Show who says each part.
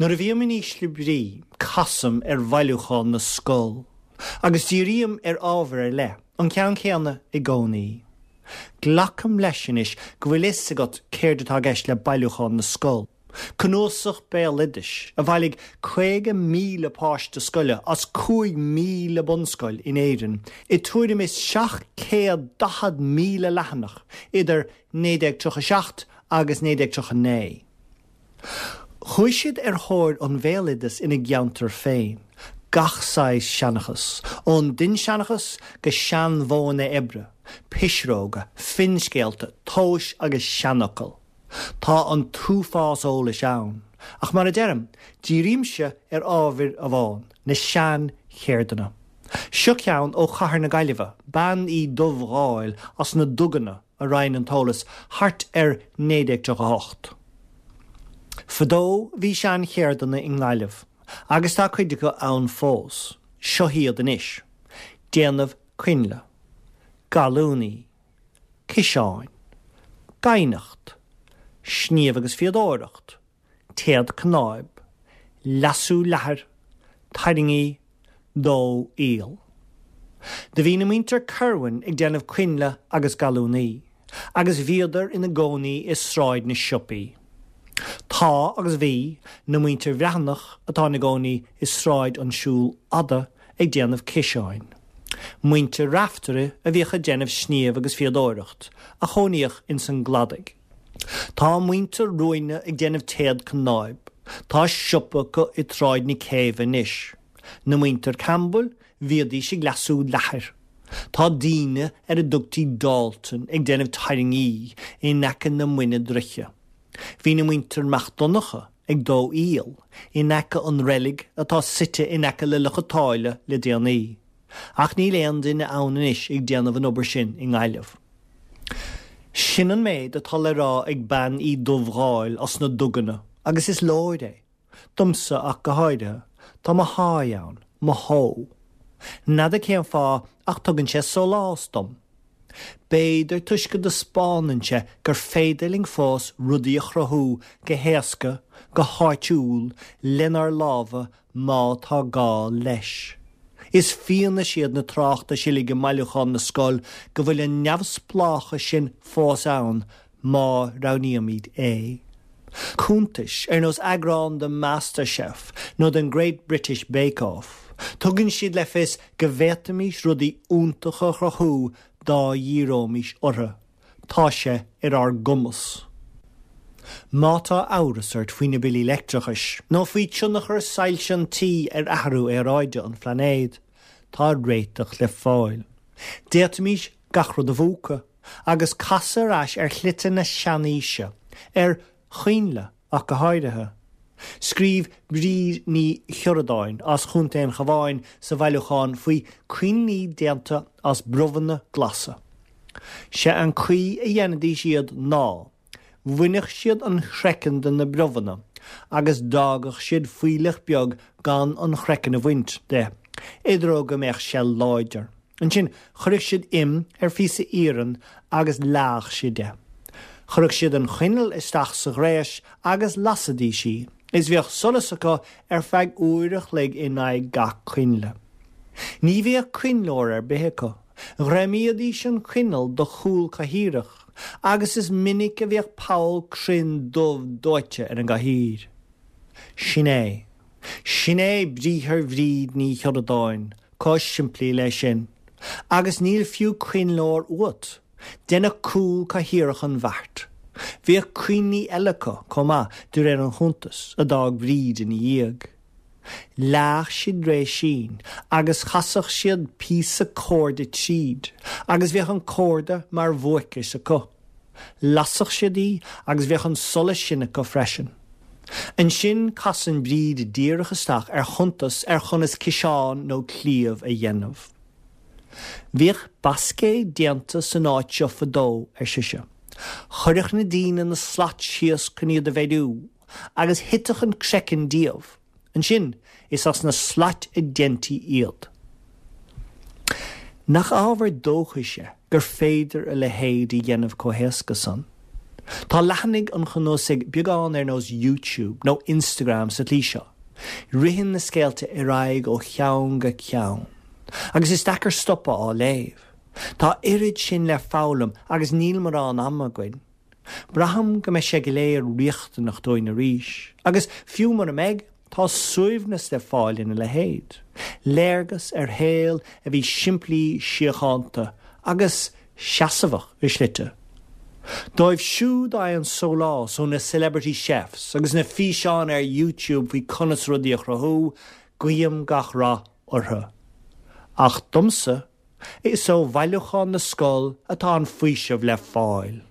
Speaker 1: Nuair a bhím in ísle brí, casaim ar Bhailiúchán na Scol, agus dírím ar ábhar ar leith, an ceann céanna i gcónaí. Glacaim leis anois go bhfuil fhios agat céard atá i gceist le Bailiúchán na Scol, cnuasach béaloidis a bhailigh 50,000 páiste scoile as 5,000 bunscoil in Éirinn i tuairim is 740,000 leathanach idir 1937 agus 1939. Chuaigh siad ar thóir an bhéaloideas ina gceantar féin, gach saghas seanchas, ón dinnseanchas go seanmhodhanna oibre, pisreoga, finscéalta, tomhais agus seanfhocail. Tá an t-uafás eolais ann, ach mar a deirim, dírímse ar ábhar amháin, na seancheirdeanna. Seo ceann ó chathair na Gaillimhe, Bean Uí Dhubhghaill as na Duganna, a roinn an t-eolas thart ar 1938. Fadó bhí sean-cheirdeanna i nGaillimh agus tá cuid acu ann fós. Seo iad anois, déanamh coinnle, gallúnaí, ciseáin, gaibhneacht, sníomh agus fíodóireacht, téad cnáib, leasú leathair, tairngí, dó aoil. Do bhí na muintir Kirwan ag déanamh coinnle agus gallúnaí, agus bhíodar ina gcónaí i Sráid na Siopaí. Tá, agus bhí, na muintir Bhreathnach, atá ina gcónaí i Sráid an Siúil Fhada, ag déanamh ciseáin. Muintir Raftery a bhíodh ag déanamh sníomh agus fíodóireacht, a chónaíodh ins an gCladaigh. Tá muintir Ruaine ag déanamh téad cnáib. Tá siopa acu i tSráid na Céibhe anois. Na muintir Campbell, bhíodís ag leasú leathair. Tá daoine ar a dtugtaí Dalton ag déanamh tairngí in aice na Muine Druiche. Bhí na muintir Mac Donncha ag dó aoil in aice an reilig atá suite in aice le Loch a' tSáile le déanaí. Ach níl aon duine ann anois ag déanamh an obair sin i nGaillimh. Sin an méid atá le rá ag Bean Uí Dhubhghaill as na Duganna agus is leor é, domsa ach go háirithe, tá mo sháith ann, mo shó. N'fheadar cén fáth ach tugann sé sólás dom. B'fhéidir toisc go dtaispeánann sé gur féidir linn fós rudaí a chruthú go héasca, go háitiúil, lenár lámha má tá gá leis. Is fianaise iad na tráchtais uilig i mBailiúchán na Scol go bhfuil an neamhspleáchas sin fós ann má roghnaímid é. Cuntais ar nós eagrán de MasterChef nó den Great British Bake Off, tugann siad le fios go bhféadfaimis rudaí iontacha a chruthú dá dhíreoimis orthu. Tá sé ar ár gcumas. Má tá amhras ort faoi na billí leictreachais, nó faoi tionchar soilse an tí ar athrú aeráide an phlainéid, tá réiteach le fáil. D'fhéadfaimis gach rud a mhúchadh, agus casadh ar ais ar shlite na seanaoise, ar choinnle ach go háirithe. Scríobh Bríd Ní Chioradáin as Chontae an Chabháin sa bhailiúchán faoi coinnlí déanta as brobhanna glasa. Sé an caoi a dhéanfaidís iad ná, bhainfeadh siad an chraiceann de na brobhanna agus d'fhágadh siad fuílleach beag gan an chraiceann a bhaint de, i dtreo go mbeadh sé láidir. Ansin chuirfeadh siad im ar phíosa iarainn agus leáfadh siad é. Chuirfeadh siad an choinneal isteach sa ghréis agus lasfaidís í, is bhíodh solas acu ar feadh uair a chloig in aghaidh gach coinnle. Ní bhíodh coinnleoir ar bith acu. Ghreamaídís an choinneal do chúl cathaoireach agus is minic a bhíodh poll cruinn dubh dóite ar an gcathaoir. Sin é. Sin é briathar Bhríd Ní Chioradáin. Chomh simplí le sin. Agus níl fiú coinnleoir uait. Deineadh cúl cathaoireach an bheart. Bhíodh coinnlí eile acu, chomh maith, de réir an chuntais, a d'fhág Bríd ina dhiaidh. Leáfadh siad réisín agus chasfadh siad píosa corda tríd agus bhíodh an corda mar bhuaiceis acu. Lasfadh siad í agus bheadh an solas sin acu freisin. Ansin casann Bríd díreach isteach ar chuntas ar chonas ciseán nó cliabh a dhéanamh. Bhíodh bascaeid déanta san áit seo fadó, ar sise. Chuirfeadh na daoine na slait síos chun iad a bheiriú, agus thitfeadh an craiceann díobh. Ansin, is as na slait a deintí iad. Nach ábhar dóchais é gur féidir a leithéid a dhéanamh chomh héasca san? Tá leathanaigh an chnuasaigh beagán ar nós YouTube nó Instagram sa tslí seo. Ritheann na scéalta ar aghaidh ó cheann go ceann. Agus is deacair stopadh á léamh. Tá oiread sin le foghlaim agus níl morán ama againn. Braithim go mbeidh sé go léir riachtanach dúinn arís. Agus fiú mura mbeidh, tá suaimhneas le fáil ina leithéid. Léargas ar shaol a bhí simplí síochánta agus seasmhach i slite. Dóibh siúd a fhaigheann sólás ó na celebrity chefs agus na físeáin ar YouTube faoi conas rudaí a chruthú, guím gach rath orthu. Ach domsa, is ó Bhailiúchán na Scol atá an faoiseamh le fáil.